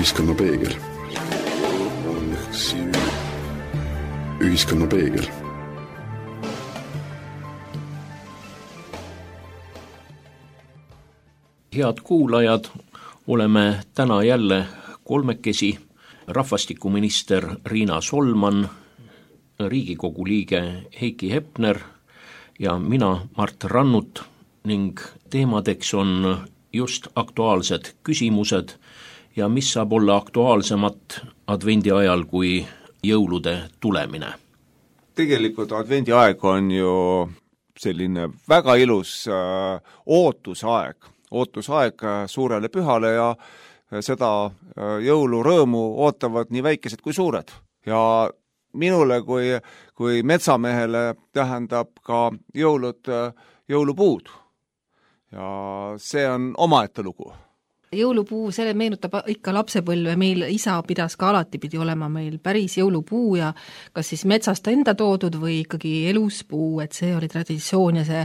Ühiskonna peegel. Ühiskonna peegel. Head kuulajad, oleme täna jälle kolmekesi, rahvastikuminister Riina Solman, Riigikogu liige Heiki Hepner ja mina, Mart Rannut, ning teemadeks on just aktuaalsed küsimused ja mis saab olla aktuaalsemat advendi ajal kui jõulude tulemine. Tegelikult advendi aeg on ju selline väga ilus ootusaeg suurele pühale ja seda jõulurõõmu ootavad nii väikesed kui suured. Ja minule kui metsamehele tähendab ka jõulupuud. Ja see on omaette lugu. Jõulupuu, selle meenutab ikka lapsepõlve, meil isa pidas ka alati pidi olema meil päris jõulupuu ja kas siis metsast enda toodud või ikkagi elus puu, et see oli traditsioon ja see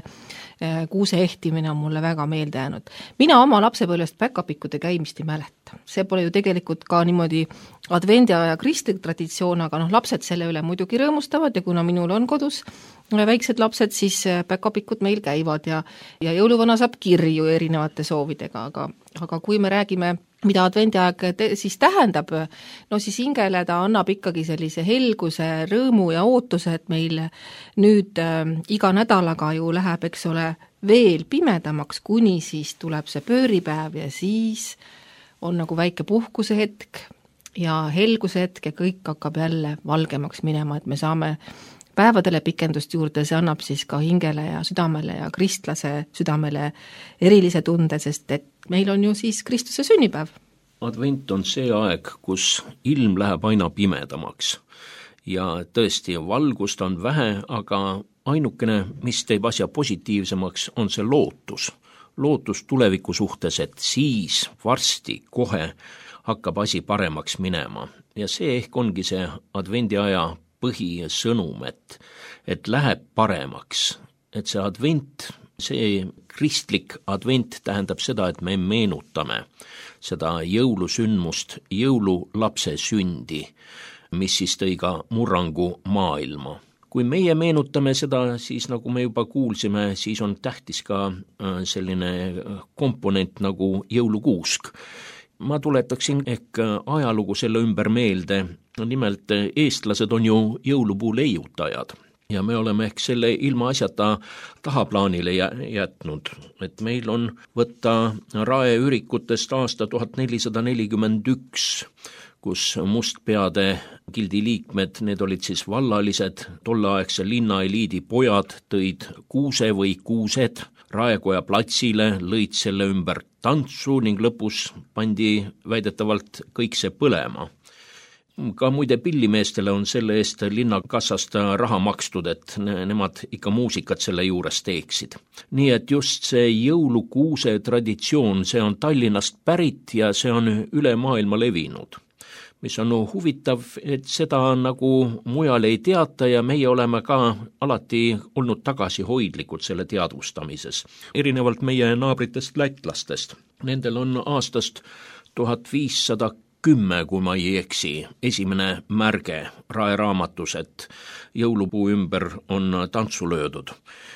kuuse ehtimine on mulle väga meelde jäänud. Mina oma lapsepõlvest päkapikkude käimist ei mäleta. See pole ju tegelikult ka niimoodi advendiaja kristlik traditsioon, aga lapsed selle üle muidugi rõõmustavad ja kuna minul on kodus väiksed lapsed, siis päkapikud meil käivad ja jõuluvana saab kirju erinevate soovidega, aga kui me räägime, mida advendiaeg siis tähendab, no siis hingele ta annab ikkagi sellise helguse, rõõmu ja ootuse, et meil nüüd iga nädalaga ju läheb, eks ole, veel pimedamaks, kuni siis tuleb see pööripäev ja siis on nagu väike puhkuse hetk ja helguse hetk ja kõik hakkab jälle valgemaks minema, et me saame päevadele pikendust juurde, see annab siis ka hingele ja südamele ja kristlase südamele erilise tunde, sest et meil on ju siis Kristuse sünnipäev. Advent on see aeg, kus ilm läheb aina pimedamaks ja tõesti valgust on vähe, aga ainukene, mis teeb asja positiivsemaks, on see lootus. Lootus tuleviku suhtes, et siis varsti kohe hakkab asi paremaks minema ja see ehk ongi see advendiaja põhisõnum, et läheb paremaks, et see advent, see kristlik advent tähendab seda, et me meenutame seda jõulusündmust, jõululapse sündi, mis siis tõi ka murrangu maailma. Kui meie meenutame seda, siis nagu me juba kuulsime, siis on tähtis ka selline komponent nagu jõulukuusk. Ma tuletaksin ehk ajalugu selle ümber meelde. Nimelt eestlased on ju jõulupuu leiutajad ja me oleme ehk selle ilma asjata tahaplaanile jätnud, et meil on võtta raeürikutest aasta 1441, kus mustpeade gildi liikmed, need olid siis vallalised, tolleaegse linnaeliidi pojad tõid kuuse või kuused Raekoja platsile, lõid selle ümber tantsu ning lõpus pandi väidetavalt kõik see põlema. Ka muide pillimeestele on selle eest linnakassast raha makstud, et nemad ikka muusikat selle juures teeksid. Nii et just see jõulukuuse traditsioon, see on Tallinnast pärit ja see on üle maailma levinud. Mis on huvitav, et seda nagu mujal ei teata ja meie oleme ka alati olnud tagasihoidlikud selle teadvustamises. Erinevalt meie naabritest lätlastest. Nendel on aastast 1510, kui ma ei eksi, esimene märge raeraamatus, et jõulupuu ümber on tantsu löödud.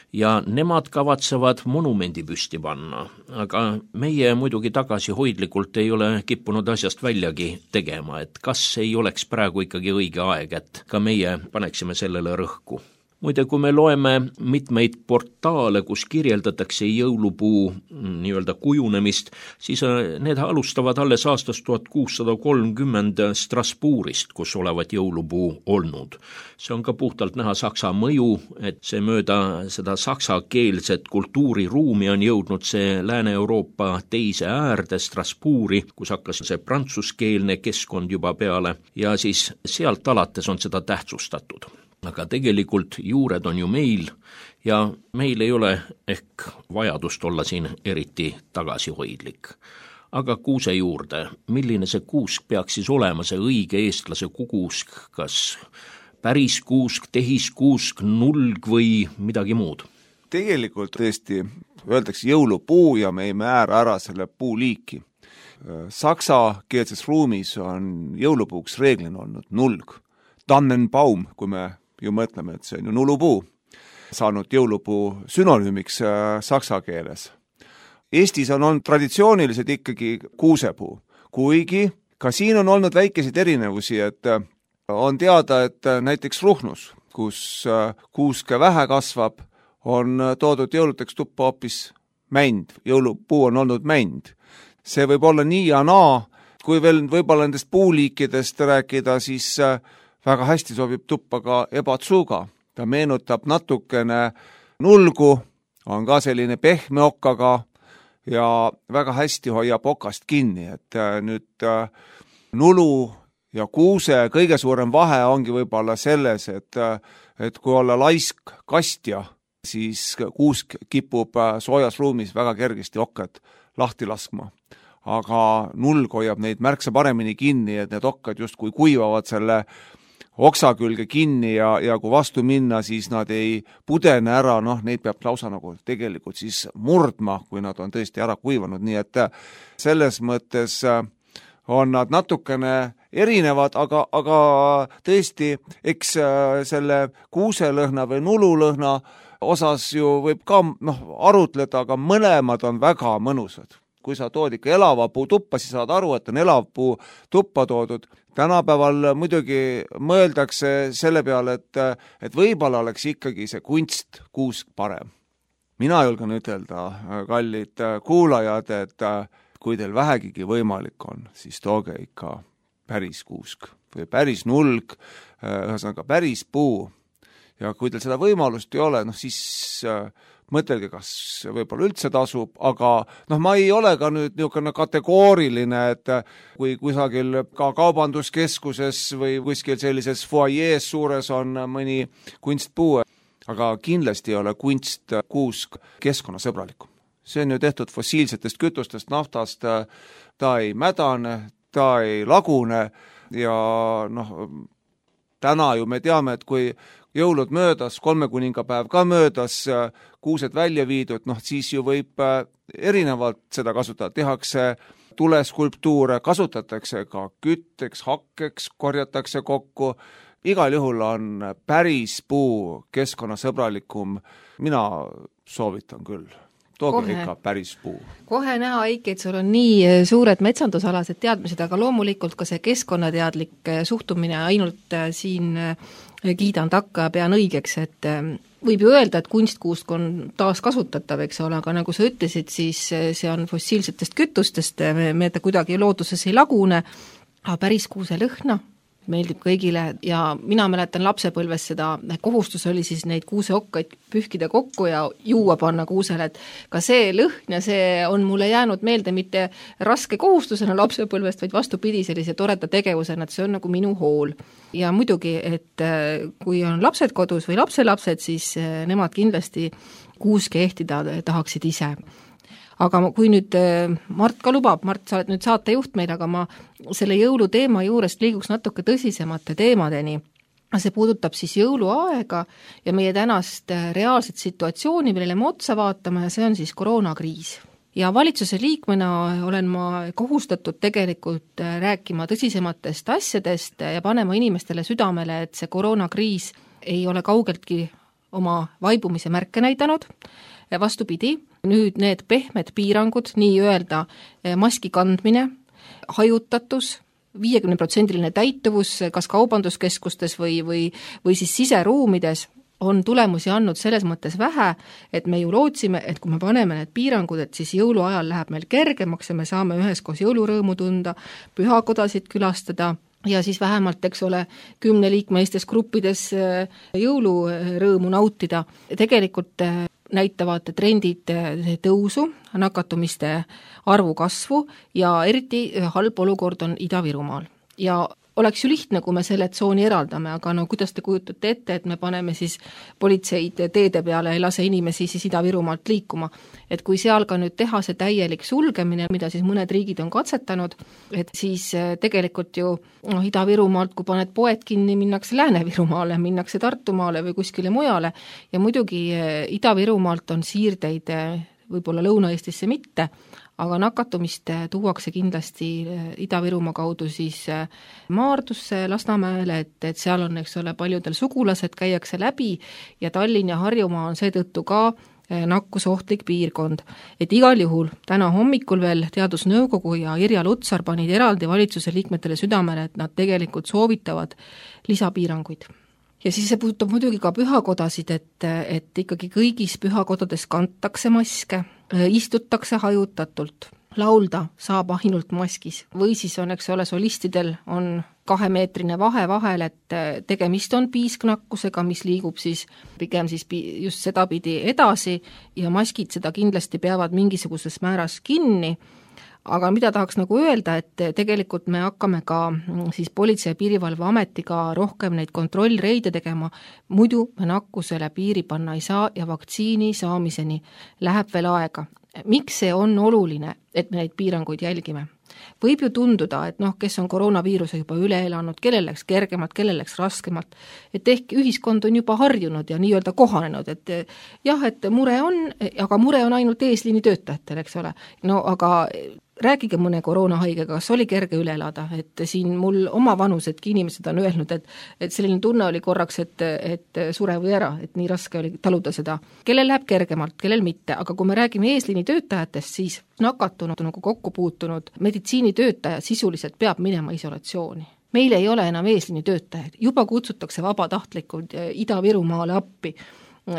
Ja nemad kavatsevad monumendi püsti panna, aga meie muidugi tagasihoidlikult ei ole kippunud asjast väljagi tegema, et kas ei oleks praegu ikkagi õige aeg, et ka meie paneksime sellele rõhku. Muide, kui me loeme mitmeid portaale, kus kirjeldatakse jõulupuu nii-öelda kujunemist, siis need alustavad alles aastast 1630 Strasbourgist, kus olevat jõulupuu olnud. See on ka puhtalt näha saksa mõju, et see mööda seda saksakeelset kultuuriruumi on jõudnud see Lääne-Euroopa teise äärde Strasbourgi, kus hakkas see prantsuskeelne keskkond juba peale ja siis sealt alates on seda tähtsustatud. Aga tegelikult juured on ju meil ja meil ei ole ehk vajadust olla siin eriti tagasihoidlik. Aga kuuse juurde, milline see kuusk peaks siis olema, see õige eestlase kuusk, kas päris kuusk, tehiskuusk, nulg või midagi muud? Tegelikult tõesti öeldakse jõulupuu ja me ei määra ära selle puuliiki. saksakeelses ruumis on jõulupuuks reeglina olnud nulg. Tannenbaum, kui me ju mõtleme, et see on ju nulupuu, saanud jõulupuu sünonüümiks saksa keeles. Eestis on olnud traditsiooniliselt ikkagi kuusepuu, kuigi ka siin on olnud väikeseid erinevusi, et on teada, et näiteks Ruhnus, kus kuuske vähe kasvab, on toodud jõuluteks tuppa hoopis mänd, jõulupuu on olnud mänd. See võib olla nii ja naa, kui veel võib-olla nendest puuliikidest rääkida, siis väga hästi sobib tuppa ka ebatsuga. Ta meenutab natukene nulgu, on ka selline pehme okkaga ja väga hästi hoiab okast kinni, et nüüd nulu ja kuuse kõige suurem vahe ongi võib-olla selles, et kui olla laisk kastja, siis kuusk kipub soojas ruumis väga kergesti okkad lahti laskma. Aga nulg hoiab neid märksa paremini kinni, et need okkad justkui kuivavad selle oksa külge kinni ja kui vastu minna, siis nad ei pudene ära, neid peab lausa nagu tegelikult siis murdma, kui nad on tõesti ära kuivanud, nii et selles mõttes on nad natukene erinevad, aga tõesti, eks selle kuuselõhna või nululõhna osas ju võib ka arutleda, aga mõlemad on väga mõnusad. Kui sa tood ikka elava puu tuppa, siis saad aru, et on elav puu tuppa toodud. Tänapäeval muidugi mõeldakse selle peale, et võib-olla oleks ikkagi see kunstkuusk parem. Mina julgen ütelda, kallid kuulajad, et kui teil vähegigi võimalik on, siis tooge ikka päris kuusk või päris nulg, ühesõnaga päris puu. Ja kui teil seda võimalust ei ole, siis mõtelge, kas võib-olla üldse tasub, aga ma ei ole ka nüüd niisugune kategooriline, et kui kusagil ka kaubanduskeskuses või kuskil sellises foajees suures on mõni kunstpuu, aga kindlasti ei ole kunstkuusk keskkonnasõbralikum. See on ju tehtud fossiilsetest kütustest, naftast, ta ei mädane, ta ei lagune ja täna ju me teame, et kui jõulud möödas, 3 kuningapäev ka möödas, kuused välja viidud, siis ju võib erinevalt seda kasutada. Tehakse tuleskulptuure, kasutatakse ka kütteks, hakkeks, korjatakse kokku. Igal juhul on päris puu keskkonnasõbralikum. Mina soovitan küll. Tooge ikka päris puu. Kohe näha, Eiki, et sul on nii suured metsandusalased teadmised, aga loomulikult ka see keskkonnateadlik suhtumine ainult siin kiidan takka ja pean õigeks, et võib ju öelda, et kunstkuusk on taas kasutatav, eks ole, aga nagu sa ütlesid, siis see on fossiilsetest kütustest, me ta kuidagi looduses ei lagune, aga päris kuuse lõhna meeldib kõigile ja mina mäletan lapsepõlves seda kohustus oli siis neid kuuseokkaid pühkida kokku ja juua panna kuusele, et ka see lõhn ja see on mulle jäänud meelde mitte raske kohustusena lapsepõlvest, vaid vastupidi sellise toreda tegevusena, et see on nagu minu hool. Ja muidugi, et kui on lapsed kodus või lapselapsed, siis nemad kindlasti kuuske ehtida tahaksid ise. Aga kui nüüd Mart ka lubab, Mart, sa oled nüüd saatejuht meil, aga ma selle jõuluteema juurest liiguks natuke tõsisemate teemadeni. See puudutab siis jõuluaega ja meie tänast reaalset situatsiooni, millele me otsa vaatame, ja see on siis koroonakriis. Ja valitsuse liikmena olen ma kohustatud tegelikult rääkima tõsisematest asjadest ja panema inimestele südamele, et see koroonakriis ei ole kaugeltki oma vaibumise märke näidanud. Vastupidi, nüüd need pehmed piirangud, nii öelda maski kandmine, hajutatus, 50% täituvus kas kaubanduskeskustes või siis siseruumides on tulemusi andnud selles mõttes vähe, et me ju lootsime, et kui me paneme need piirangud, et siis jõuluajal läheb meil kergemaks ja me saame üheskoos jõulurõõmu tunda, pühakodasid külastada ja siis vähemalt, eks ole, 10-liikmelistes gruppides jõulurõõmu nautida. Tegelikult näitavad trendid tõusu, nakatumiste arvu kasvu ja eriti halb olukord on Ida-Virumaal. Ja oleks ju lihtne, kui me selle tsooni eraldame, aga kuidas te kujutate ette, et me paneme siis politseid teede peale ja lase inimesi siis Ida-Virumaalt liikuma. Et kui seal ka nüüd teha see täielik sulgemine, mida siis mõned riigid on katsetanud, et siis tegelikult ju Ida-Virumaalt, kui paned poed kinni, minnakse Lääne-Virumaale, minnakse Tartumaale või kuskile mujale ja muidugi Ida-Virumaalt on siirdeid võib-olla Lõuna-Eestisse mitte, aga nakatumist tuuakse kindlasti Ida-Virumaa kaudu siis Maardusse, Lasnamäele, et seal on, eks ole, paljudel sugulased, käiakse läbi ja Tallinn ja Harjumaa on seetõttu ka nakkusohtlik piirkond. Et igal juhul täna hommikul veel Teadusnõukogu ja Irja Lutsar panid eraldi valitsuse liikmetele südamele, et nad tegelikult soovitavad lisapiiranguid. Ja siis see puudutab muidugi ka pühakodasid, et ikkagi kõigis pühakodades kantakse maske, istutakse hajutatult, laulda saab ainult maskis või siis on, eks ole, solistidel on 2-meetrine vahe vahel, et tegemist on piisknakkusega, mis liigub siis pigem siis just sedapidi edasi ja maskid seda kindlasti peavad mingisuguses määras kinni. Aga mida tahaks nagu öelda, et tegelikult me hakkame ka siis Politsei- ja Piirivalveametiga rohkem neid kontrollreide tegema, muidu me nakkusele piiri panna ei saa ja vaktsiini saamiseni läheb veel aega. Miks see on oluline, et me neid piiranguid jälgime? Võib ju tunduda, et kes on koroonaviiruse juba üle elanud, kellel läks kergemalt, kellel läks raskemalt, et ehk ühiskond on juba harjunud ja nii-öelda kohanenud, et jah, et mure on, aga mure on ainult eesliini töötajatel, eks ole. No aga rääkige mõne koroonahaigega, kas oli kerge üle elada, et siin mul oma vanusedki inimesed on öelnud, et selline tunne oli korraks, et sure või ära, et nii raske oli taluda seda. Kellel läheb kergemalt, kellel mitte, aga kui me räägime eesliini töötajatest, siis nakatunud nagu kokku puutunud meditsiinitöötaja sisuliselt peab minema isolatsiooni. Meil ei ole enam eesliini töötajaid, juba kutsutakse vabatahtlikud Ida-Virumaale appi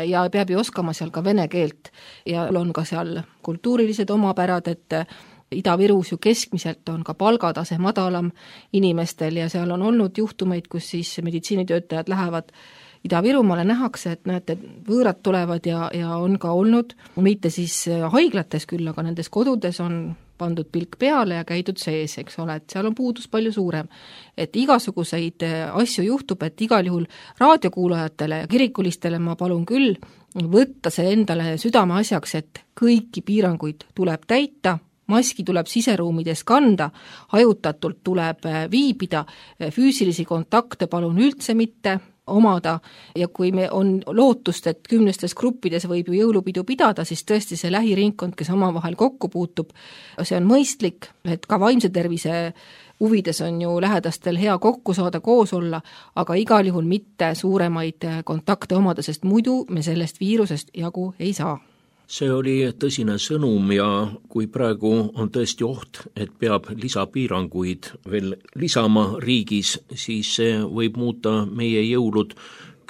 ja peab ju oskama seal ka vene keelt ja on ka seal kultuurilised omapärad, et Ida-Virus ju keskmiselt on ka palgatase madalam inimestel ja seal on olnud juhtumeid, kus siis meditsiinitöötajad lähevad Ida-Virumaale, nähakse, et näete, võõrad tulevad ja on ka olnud, mitte siis haiglates küll, aga nendes kodudes on pandud pilk peale ja käidud sees, eks ole, et seal on puudus palju suurem. Et igasuguseid asju juhtub, et igal juhul raadiokuulajatele ja kirikulistele ma palun küll võtta see endale südame asjaks, et kõiki piiranguid tuleb täita, maski tuleb siseruumides kanda, hajutatult tuleb viibida, füüsilisi kontakte palun üldse mitte omada ja kui me on lootust, et 10 gruppides võib ju jõulupidu pidada, siis tõesti see lähiringkond, kes omavahel kokku puutub, see on mõistlik, et ka vaimse tervise huvides on ju lähedastel hea kokku saada, koos olla, aga igal juhul mitte suuremaid kontakte omada, sest muidu me sellest viirusest jagu ei saa. See oli tõsine sõnum ja kui praegu on tõesti oht, et peab lisapiiranguid veel lisama riigis, siis see võib muuta meie jõulud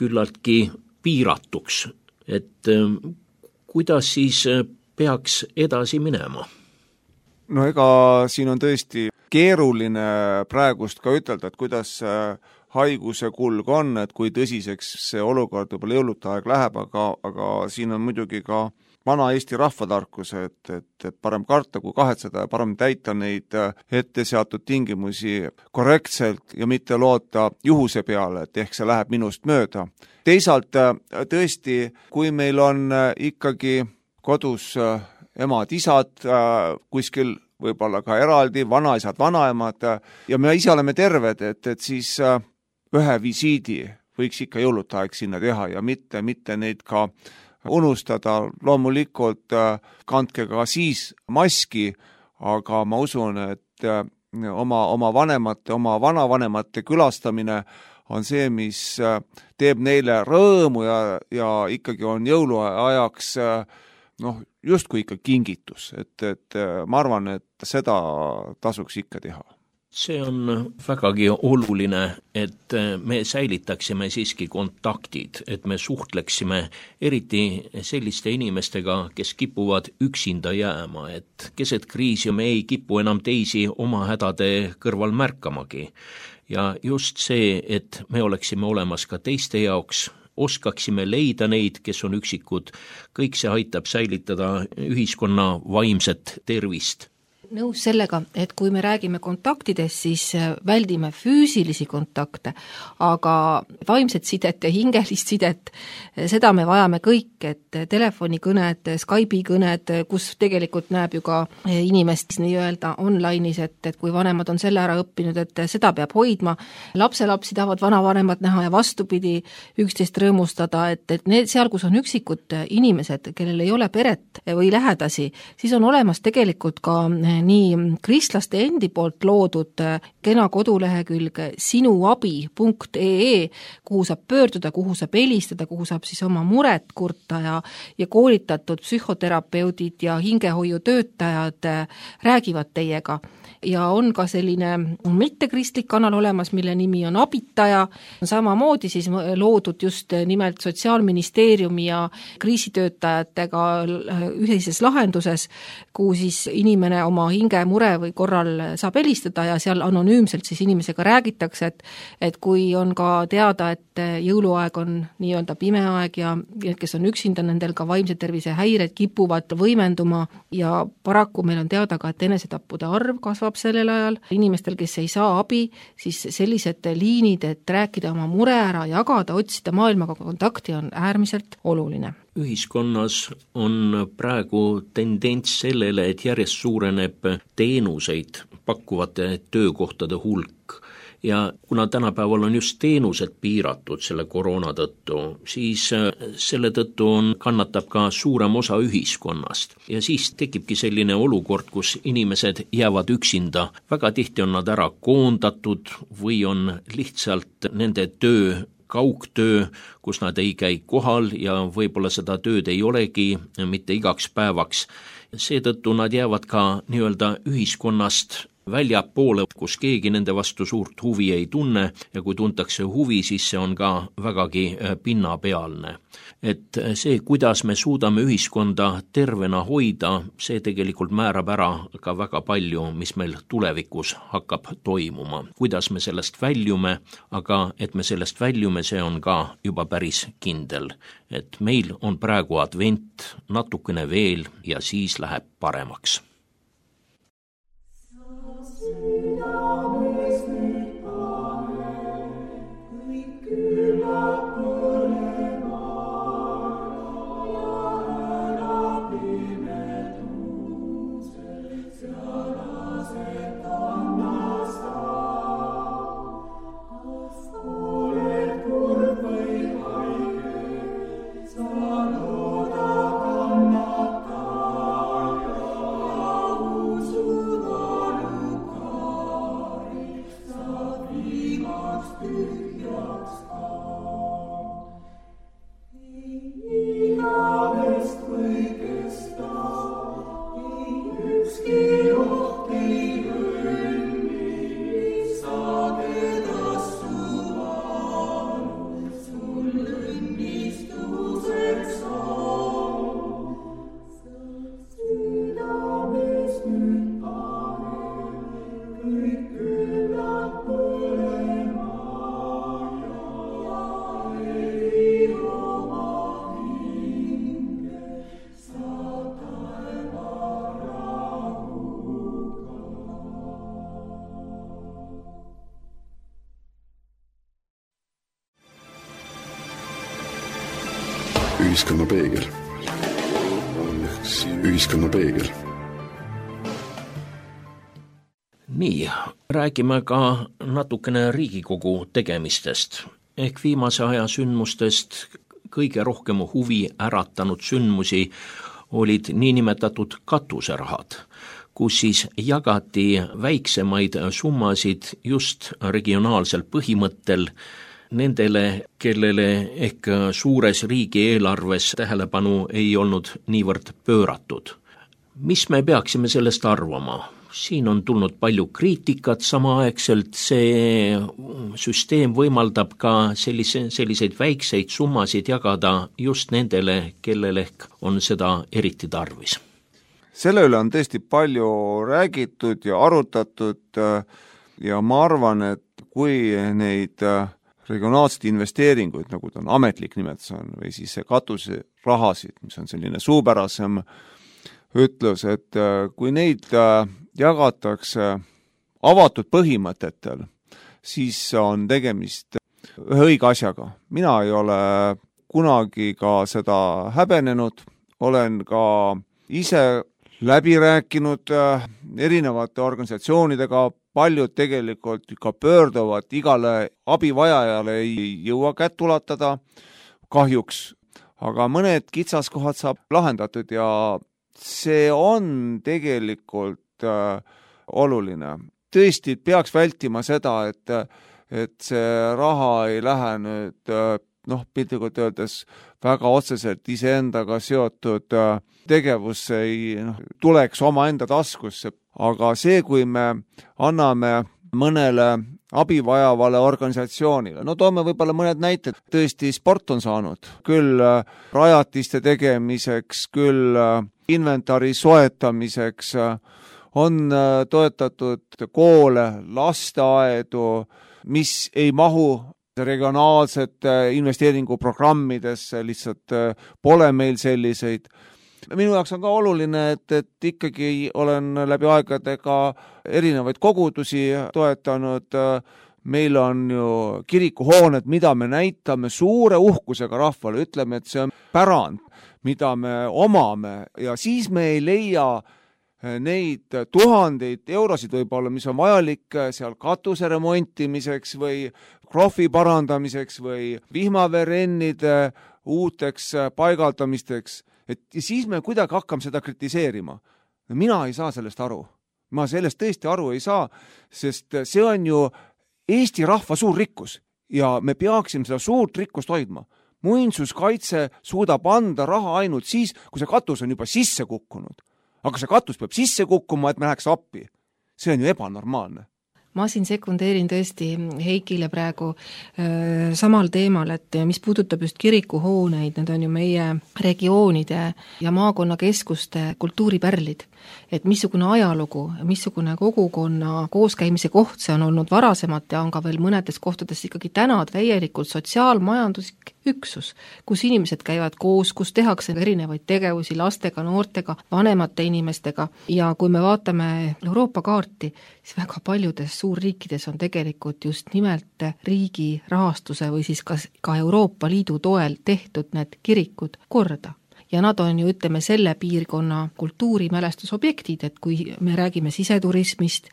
küllaltki piiratuks. Et kuidas siis peaks edasi minema? No ega siin on tõesti keeruline praegust ka ütelda, et kuidas haiguse kulg on, et kui tõsiseks see olukord võib-olla jõulude aeg läheb, aga siin on muidugi ka vana Eesti rahvatarkus, et parem karta kui kahetseda ja parem täita neid ette seatud tingimusi korrektselt ja mitte loota juhuse peale, et ehk see läheb minust mööda. Teisalt tõesti, kui meil on ikkagi kodus emad-isad kuskil võib-olla ka eraldi, vanaisad, vanaemad ja me ise oleme terved, et siis ühe visiidi võiks ikka jõulude aeg sinna teha ja mitte neid ka unustada, loomulikult kandke ka siis maski, aga ma usun, et oma vanemate, oma vanavanemate külastamine on see, mis teeb neile rõõmu ja ikkagi on jõuluajaks justkui ikka kingitus, et ma arvan, et seda tasuks ikka teha. See on vägagi oluline, et me säilitaksime siiski kontaktid, et me suhtleksime eriti selliste inimestega, kes kipuvad üksinda jääma, et keset kriisi me ei kipu enam teisi oma hädade kõrval märkamagi. Ja just see, et me oleksime olemas ka teiste jaoks, oskaksime leida neid, kes on üksikud, kõik see aitab säilitada ühiskonna vaimset tervist. nõus sellega, et kui me räägime kontaktidest, siis väldime füüsilisi kontakte, aga vaimset sidet ja hingelist sidet, seda me vajame kõik, et telefonikõned, Skype'i kõned, kus tegelikult näeb ju ka inimest nii-öelda online'is, et kui vanemad on selle ära õppinud, et seda peab hoidma, lapselapsi tahavad vanavanemad näha ja vastupidi üksteist rõõmustada, et need seal, kus on üksikud inimesed, kellel ei ole peret või lähedasi, siis on olemas tegelikult ka nii kristlaste endi poolt loodud kena kodulehekülg sinuabi.ee, kuhu saab pöörduda, kuhu saab helistada, kuhu saab siis oma muret kurta ja koolitatud psühhoterapeudid ja hingehoiutöötajad räägivad teiega. Ja on ka selline mittekristlik kanal olemas, mille nimi on Abitaja, samamoodi siis loodud just nimelt Sotsiaalministeeriumi ja kriisitöötajatega ühises lahenduses, kuhu siis inimene oma hingemure või korral saab helistada ja seal anonüümselt siis inimesega räägitakse, et kui on ka teada, et jõuluaeg on nii-öelda pime aeg ja need, kes on üksinda, nendel ka vaimse tervise häired kipuvad võimenduma ja paraku meil on teada ka, et enesetappude arv kasvab sellel ajal. Inimestel, kes ei saa abi, siis sellised liinid, et rääkida oma mure ära, jagada, otsida maailmaga kontakti on äärmiselt oluline. Ühiskonnas on praegu tendents sellele, et järjest suureneb teenuseid pakkuvate töökohtade hulk. Ja kuna tänapäeval on just teenused piiratud selle koroona tõttu, siis selle tõttu kannatab ka suurem osa ühiskonnast. Ja siis tekibki selline olukord, kus inimesed jäävad üksinda. Väga tihti on nad ära koondatud või on lihtsalt nende töö kaugtöö, kus nad ei käi kohal ja võib-olla seda tööd ei olegi mitte igaks päevaks. Seetõttu nad jäävad ka nii-öelda ühiskonnast väljapoole, kus keegi nende vastu suurt huvi ei tunne ja kui tuntakse huvi, siis see on ka vägagi pinnapealne. Et see, kuidas me suudame ühiskonda tervena hoida, see tegelikult määrab ära ka väga palju, mis meil tulevikus hakkab toimuma. Kuidas me sellest väljume, aga et me sellest väljume, see on ka juba päris kindel. Et meil on praegu advent, natukene veel ja siis läheb paremaks. Ühiskonna peegel. Ühiskonna peegel. Nii, räägime ka natukene Riigikogu tegemistest. Ehk viimase aja sündmustest kõige rohkem huvi äratanud sündmusi olid niinimetatud katuserahad, kus siis jagati väiksemaid summasid just regionaalsel põhimõttel nendele, kellele ehk suures riigieelarves tähelepanu ei olnud niivõrd pööratud. Mis me peaksime sellest arvama? Siin on tulnud palju kriitikat samaaegselt, see süsteem võimaldab ka selliseid väikseid summasid jagada just nendele, kellel ehk on seda eriti tarvis. Selle üle on tõesti palju räägitud ja arutatud ja ma arvan, et kui neid regionaalseid investeeringuid, nagu ta on ametlik nimetus on, või siis katuserahasid, mis on selline suupärasem ütlus, et kui neid jagatakse avatud põhimõtetel, siis on tegemist ühe õige asjaga. Mina ei ole kunagi ka seda häbenenud, olen ka ise läbi rääkinud erinevate organisatsioonidega, paljud tegelikult ka pöörduvad, igale abivajajale ei jõua kätt ulatada kahjuks, aga mõned kitsaskohad saab lahendatud ja see on tegelikult oluline. Tõesti peaks vältima seda, et see raha ei lähe nüüd piltlikult öeldes väga otseselt iseendaga seotud tegevus ei tuleks omaenda taskusse. Aga see, kui me anname mõnele abivajavale organisatsioonile, toome võib-olla mõned näited, tõesti sport on saanud, küll rajatiste tegemiseks, küll inventari soetamiseks, on toetatud koole, lasteaedu, mis ei mahu regionaalsete investeeringuprogrammidesse, lihtsalt pole meil selliseid. Minu jaoks on ka oluline, et ikkagi olen läbi aegadega erinevaid kogudusi toetanud. Meil on ju kirikuhooned, mida me näitame suure uhkusega rahvale, ütleme, et see on pärand, mida me omame ja siis me ei leia neid tuhandeid eurosid võib-olla, mis on vajalik seal katuse remontimiseks või krohvi parandamiseks või vihmaveerennide uuteks paigaldamisteks. Ja siis me kuidagi hakkame seda kritiseerima. Mina ei saa sellest aru. Ma sellest tõesti aru ei saa, sest see on ju Eesti rahva suur rikkus ja me peaksime seda suurt rikkust hoidma. Muinsuskaitse suudab anda raha ainult siis, kui see katus on juba sisse kukkunud. Aga see katus peab sisse kukkuma, et me läheks appi. See on ju ebanormaalne. Ma siin sekundeerin tõesti Heikile praegu samal teemal, et mis puudutab just kirikuhooneid, need on ju meie regioonide ja maakonnakeskuste kultuuripärlid. Et missugune ajalugu, missugune kogukonna kooskäimise koht see on olnud varasemat ja on ka veel mõnedes kohtades ikkagi täna täielikult sotsiaalmajanduslik üksus, kus inimesed käivad koos, kus tehakse erinevaid tegevusi lastega, noortega, vanemate inimestega ja kui me vaatame Euroopa kaarti, siis väga paljudes suurriikides on tegelikult just nimelt riigi rahastuse või siis ka Euroopa Liidu toel tehtud need kirikud korda. Ja nad on ju, ütleme, selle piirkonna kultuurimälestusobjektid, et kui me räägime siseturismist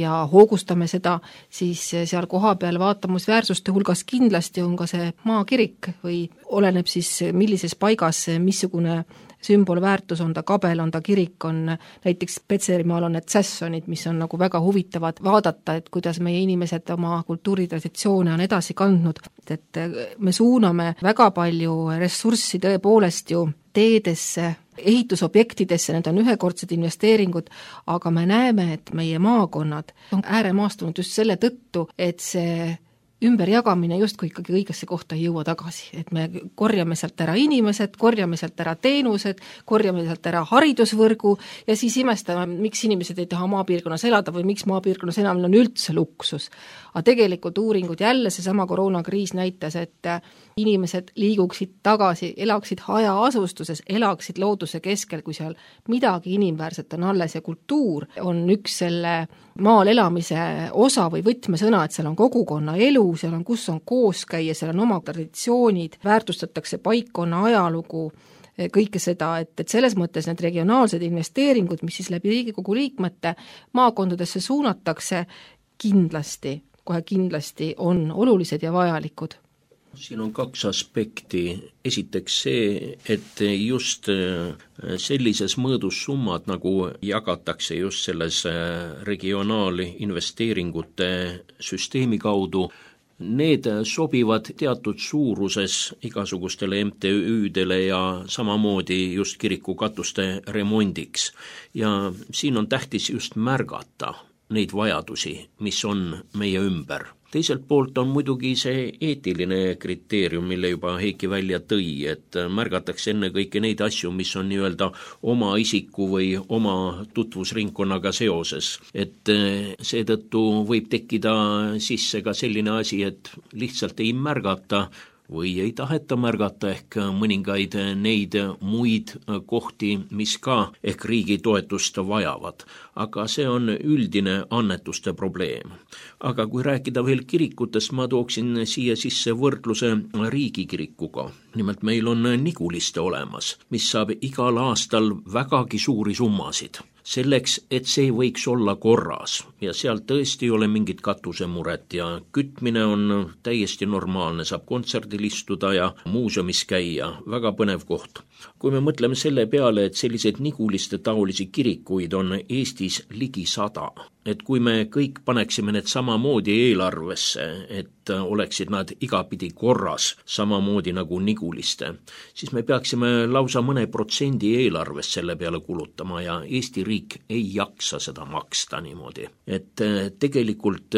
ja hoogustame seda, siis seal koha peal vaatamusväärsuste hulgas kindlasti on ka see maakirik või oleneb siis millises paigas, missugune sümbolväärtus on ta kabel, on ta kirik, on näiteks Petserimaal on need sässonid, mis on nagu väga huvitavad vaadata, et kuidas meie inimesed oma kultuuritraditsioone on edasi kandnud, et me suuname väga palju ressurssi tõepoolest ju teedesse, ehitusobjektidesse, need on ühekordsed investeeringud, aga me näeme, et meie maakonnad on ääremaastunud just selle tõttu, et see ümberjagamine justkui ikkagi õigesse kohta ei jõua tagasi, et me korjame sealt ära inimesed, korjame sealt ära teenused, korjame sealt ära haridusvõrgu ja siis imestame, miks inimesed ei taha maapiirkonnas elada või miks maapiirkonnas elamine on üldse luksus. Aga tegelikult uuringud jälle seesama koroonakriis näitas, et inimesed liiguksid tagasi, elaksid hajaasustuses, elaksid looduse keskel, kui seal midagi inimväärset on alles ja kultuur on üks selle maal elamise osa või võtmesõna, et seal on kogukonna elu, seal on, kus on koos käia, seal on oma traditsioonid, väärtustatakse paikkonna ajalugu, kõike seda, et selles mõttes need regionaalsed investeeringud, mis siis läbi Riigikogu liikmete maakondadesse suunatakse, kohe kindlasti on olulised ja vajalikud. Siin on kaks aspekti. Esiteks see, et just sellises mõõdus summad, nagu jagatakse just selles regionaalinvesteeringute süsteemi kaudu, need sobivad teatud suuruses igasugustele MTÜ-dele ja samamoodi just kirikukatuste remondiks. Ja siin on tähtis just märgata neid vajadusi, mis on meie ümber. Teiselt poolt on muidugi see eetiline kriteerium, mille juba Heiki välja tõi, et märgatakse ennekõike neid asju, mis on nii-öelda oma isiku või oma tutvusringkonnaga seoses. Et seetõttu võib tekkida sisse ka selline asi, et lihtsalt ei märgata või ei taheta märgata ehk mõningaid neid muid kohti, mis ka ehk riigi toetust vajavad. Aga see on üldine annetuste probleem. Aga kui rääkida veel kirikutest, ma tooksin siia sisse võrdluse riigikirikuga. Nimelt meil on Niguliste olemas, mis saab igal aastal vägagi suuri summasid. Selleks, et see võiks olla korras ja seal tõesti ei ole mingit katusemuret ja kütmine on täiesti normaalne, saab kontserdil istuda ja muuseumis käia, väga põnev koht. Kui me mõtleme selle peale, et selliseid Niguliste taolisi kirikuid on Eestis ligi 100, et kui me kõik paneksime need samamoodi eelarvesse, et oleksid nad igapidi korras, samamoodi nagu Niguliste, siis me peaksime lausa mõne protsendi eelarvest selle peale kulutama ja Eesti riik ei jaksa seda maksta niimoodi. Et tegelikult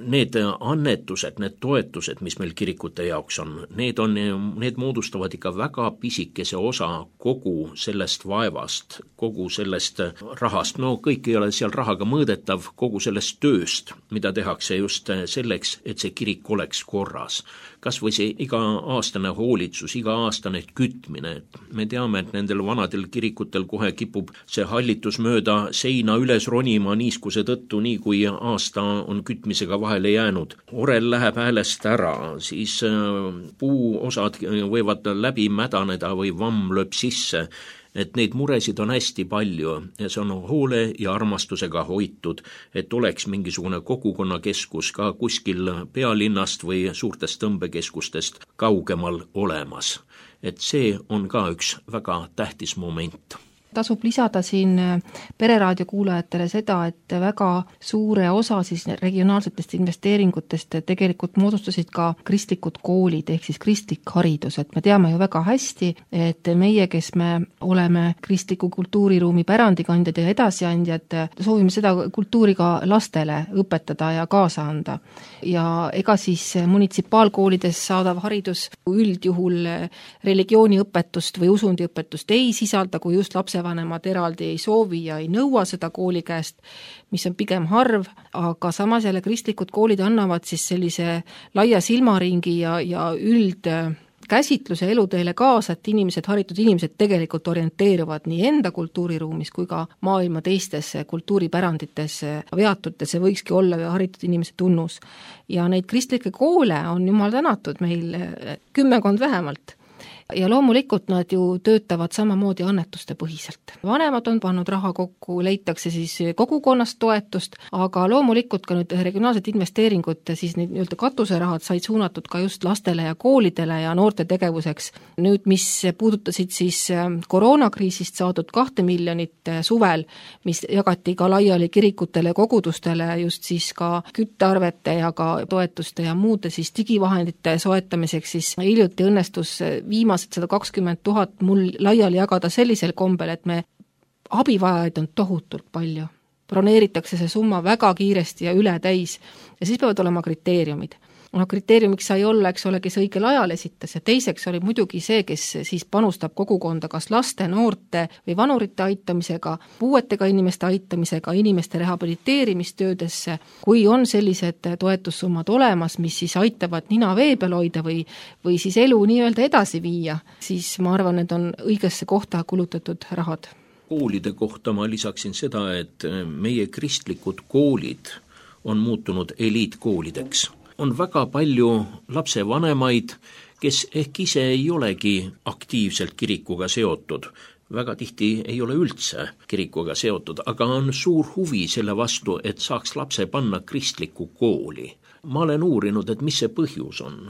need annetused, need toetused, mis meil kirikute jaoks on, need moodustavad ikka väga pisikese osa kogu sellest vaevast, kogu sellest rahast. No kõik ei ole seal rahaga mõõdetav, kogu sellest tööst, mida tehakse just selleks, et see kirik oleks korras. Kas või see iga-aastane hoolitsus, iga-aastane kütmine. Me teame, et nendel vanadel kirikutel kohe kipub see hallitus mööda seina üles ronima niiskuse tõttu, nii kui aasta on kütmisega vahele jäänud. Orel läheb häälest ära, siis puuosad võivad läbi mädaneda või vamm lööb sisse. Et neid muresid on hästi palju ja see on hoole ja armastusega hoitud, et oleks mingisugune kogukonnakeskus ka kuskil pealinnast või suurtest tõmbekeskustest kaugemal olemas. Et see on ka üks väga tähtis moment. Tasub lisada siin Pereraadio kuulajatele seda, et väga suure osa siis regionaalsetest investeeringutest tegelikult moodustasid ka kristlikud koolid ehk siis kristlik haridus, et me teame ju väga hästi, et meie, kes me oleme kristliku kultuuriruumi pärandikandjad ja edasiandjad, soovime seda kultuuri ka lastele õpetada ja kaasa anda. Ja ega siis munitsipaalkoolides saadav haridus üldjuhul religiooniõpetust või usundiõpetust ei sisalda, kui just lapsevanemad eraldi ei soovi ja ei nõua seda kooli käest, mis on pigem harv, aga samas jälle kristlikud koolid annavad siis sellise laia silmaringi ja üldkäsitluse eluteele kaasa, et haritud inimesed tegelikult orienteeruvad nii enda kultuuriruumis kui ka maailma teistes kultuuripärandites veatutes, see võikski olla haritud inimese tunnus. Ja neid kristlikke koole on jumal tänatud meil 10 vähemalt. Ja loomulikult nad ju töötavad samamoodi annetuste põhiselt. Vanemad on pannud raha kokku, leitakse siis kogukonnast toetust, aga loomulikult ka nüüd regionaalsed investeeringud, siis need nii-öelda katuserahad said suunatud ka just lastele ja koolidele ja noorte tegevuseks. Nüüd, mis puudutasid siis koroonakriisist saadud 2 miljonit suvel, mis jagati ka laiali kirikutele ja kogudustele just siis ka küttearvete ja ka toetuste ja muude siis digivahendite soetamiseks, siis hiljuti õnnestus viimase 120 000 mul laiali jagada sellisel kombel, et me abivajajaid on tohutult palju. Broneeritakse see summa väga kiiresti ja üle täis ja siis peavad olema kriteeriumid. Kriteeriumiks sai olla, eks ole, kes õigel ajal esitas ja teiseks oli muidugi see, kes siis panustab kogukonda kas laste, noorte või vanurite aitamisega, puuetega inimeste aitamisega, inimeste rehabiliteerimistöödesse. Kui on sellised toetussummad olemas, mis siis aitavad nina vee peal hoida või siis elu nii-öelda edasi viia, siis ma arvan, need on õigesse kohta kulutatud rahad. Koolide kohta ma lisaksin seda, et meie kristlikud koolid on muutunud eliitkoolideks. On väga palju lapsevanemaid, kes ehk ise ei olegi aktiivselt kirikuga seotud. Väga tihti ei ole üldse kirikuga seotud, aga on suur huvi selle vastu, et saaks lapse panna kristlikku kooli. Ma olen uurinud, et mis see põhjus on.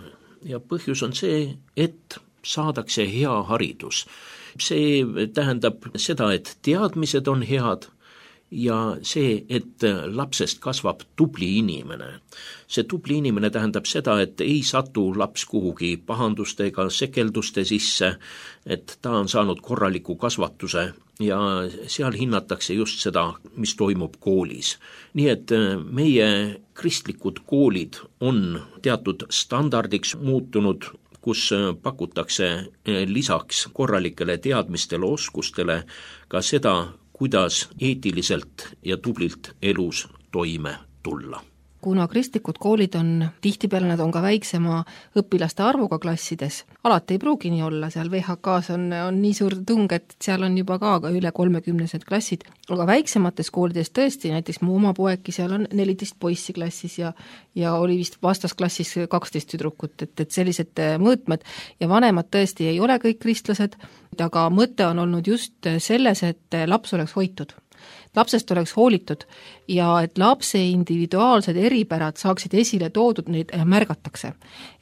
Ja põhjus on see, et saadakse hea haridus. See tähendab seda, et teadmised on head, ja see, et lapsest kasvab tubli inimene. See tubli inimene tähendab seda, et ei satu laps kuhugi pahanduste ega sekelduste sisse, et ta on saanud korraliku kasvatuse ja seal hinnatakse just seda, mis toimub koolis. Nii et meie kristlikud koolid on teatud standardiks muutunud, kus pakutakse lisaks korralikele teadmistele, oskustele ka seda, kuidas eetiliselt ja tublilt elus toime tulla. kuna kristlikud koolid on, tihtipeale nad on ka väiksema õpilaste arvuga klassides, alati ei pruugi nii olla, seal VHK-s on nii suur tung, et seal on juba ka üle 30 klassid, aga väiksemates koolides tõesti, näiteks mu oma poegi, seal on 14 poissi klassis ja oli vist vastasklassis 12 tüdrukut, et sellised mõõtmed ja vanemad tõesti ei ole kõik kristlased, aga mõte on olnud just selles, et laps oleks hoitud. Lapsest oleks hoolitud ja et lapse individuaalsed eripärad saaksid esile toodud, neid märgatakse.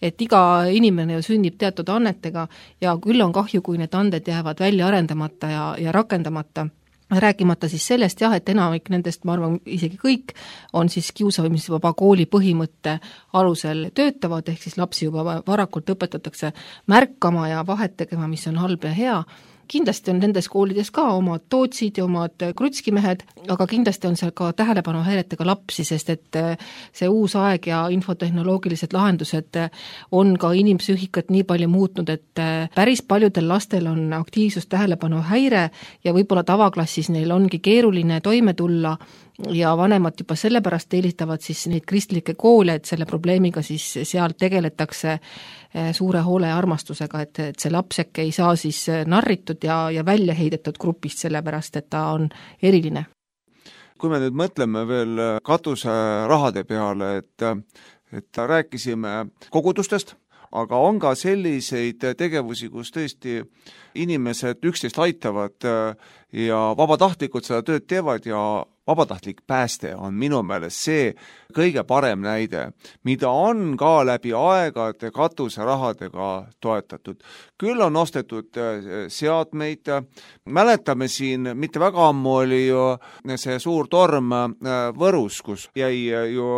Et iga inimene ju sünnib teatud annetega ja küll on kahju, kui need anded jäävad välja arendamata ja rakendamata. Rääkimata siis sellest jah, et enamik nendest, ma arvan, isegi kõik on siis kiusamisvaba kooli põhimõtte alusel töötavad, ehk siis lapsi juba varakult õpetatakse märkama ja vahet tegema, mis on halb ja hea. Kindlasti on nendes koolides ka omad tootsid ja omad krutskimehed, aga kindlasti on seal ka tähelepanuhäiretega lapsi, sest et see uus aeg ja infotehnoloogilised lahendused on ka inimpsüühikat nii palju muutnud, et päris paljudel lastel on aktiivsus tähelepanuhäire ja võib-olla tavaklassis neil ongi keeruline toime tulla ja vanemad juba sellepärast eelistavad siis neid kristlikke koole, et selle probleemiga siis seal tegeletakse suure hoole ja armastusega, et see lapseke ei saa siis narritud ja välja heidetud grupist, sellepärast et ta on eriline. Kui me nüüd mõtleme veel katuserahade peale, et rääkisime kogudustest, aga on ka selliseid tegevusi, kus tõesti inimesed üksteist aitavad ja vabatahtlikud seda tööd teevad ja vabatahtlik pääste on minu meelest see kõige parem näide, mida on ka läbi aegade katuserahadega toetatud. Küll on ostetud seadmeid, mäletame siin, mitte väga ammu oli ju see suur torm Võrus, kus jäi ju